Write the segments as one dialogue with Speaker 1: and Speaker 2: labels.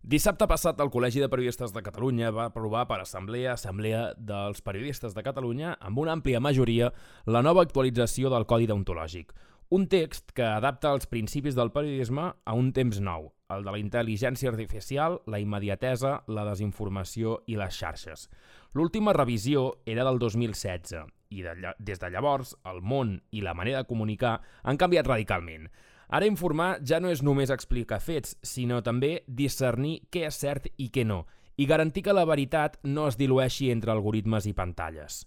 Speaker 1: Dissabte passat, el Col·legi de Periodistes de Catalunya va aprovar per Assemblea dels Periodistes de Catalunya, amb una àmplia majoria, la nova actualització del Codi Deontològic. Un text que adapta els principis del periodisme a un temps nou, el de la intel·ligència artificial, la immediatesa, la desinformació i les xarxes. L'última revisió era del 2016 i des de llavors el món i la manera de comunicar han canviat radicalment. Ara informar ja no és només explicar fets, sinó també discernir què és cert i què no, i garantir que la veritat no es dilueixi entre algoritmes i pantalles.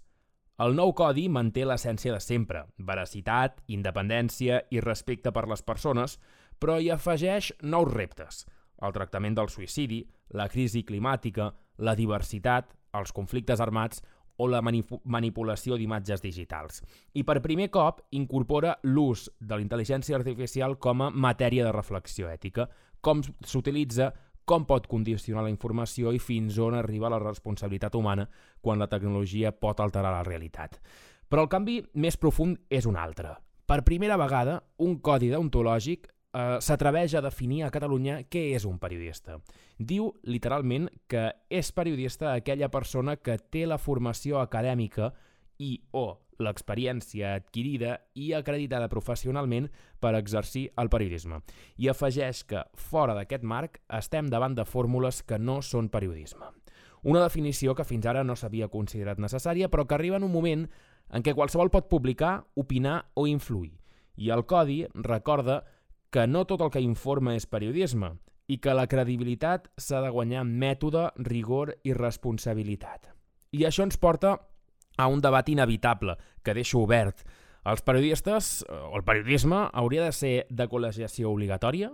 Speaker 1: El nou codi manté l'essència de sempre, veracitat, independència i respecte per les persones, però hi afegeix nous reptes: el tractament del suïcidi, la crisi climàtica, la diversitat, els conflictes armats o la manipulació d'imatges digitals. I per primer cop incorpora l'ús de la intel·ligència artificial com a matèria de reflexió ètica, com s'utilitza, com pot condicionar la informació i fins on arriba la responsabilitat humana quan la tecnologia pot alterar la realitat. Però el canvi més profund és un altre. Per primera vegada, un codi deontològic s'atreveix a definir a Catalunya què és un periodista. Diu, literalment, que és periodista aquella persona que té la formació acadèmica o l'experiència adquirida i acreditada professionalment per exercir el periodisme. I afegeix que, fora d'aquest marc, estem davant de fórmules que no són periodisme. Una definició que fins ara no s'havia considerat necessària, però que arriba en un moment en què qualsevol pot publicar, opinar o influir. I el codi recorda que no tot el que informa és periodisme i que la credibilitat s'ha de guanyar amb mètode, rigor i responsabilitat. I això ens porta a un debat inevitable, que deixo obert. Els periodistes, o el periodisme, hauria de ser de col·legiació obligatòria?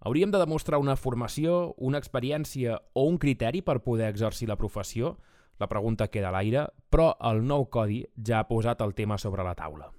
Speaker 1: Hauríem de demostrar una formació, una experiència o un criteri per poder exercir la professió? La pregunta queda a l'aire, però el nou codi ja ha posat el tema sobre la taula.